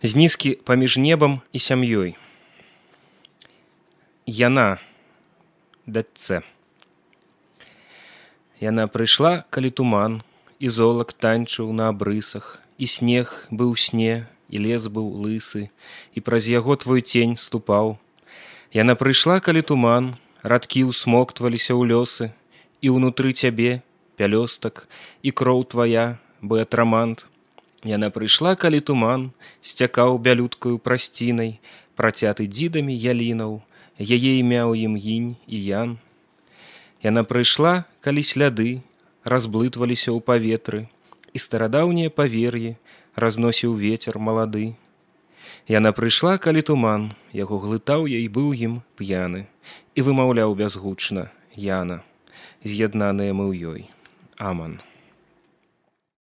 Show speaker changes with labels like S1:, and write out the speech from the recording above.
S1: З нізкі паміж небам і сям'ёй. Яна, дачцэ. Яна прыйшла, калі туман, і золак танчыў на абрысах, і снег быў сне, і лес быў лысы, і праз яго твой цень ступаў. Яна прыйшла, калі туман, радкі ўсмоктваліся ў лёсы, і ўнутры цябе пялёстак, і кроў твая, бэатрамант. Яна прыйшла, калі туман сцякаў бялюткаю прасцінай, працяты дзідамі ялінаў, яе імя ў ім інь і ян. Яна прыйшла, калі сляды разблытваліся ў паветры, і старадаўнія павер'і разносіў вецер малады. Яна прыйшла, калі туман яго глытаў і быў ім п'яны, і вымаўляў бязгучна Яна, з'яднаныя мы ў ёй. Аман.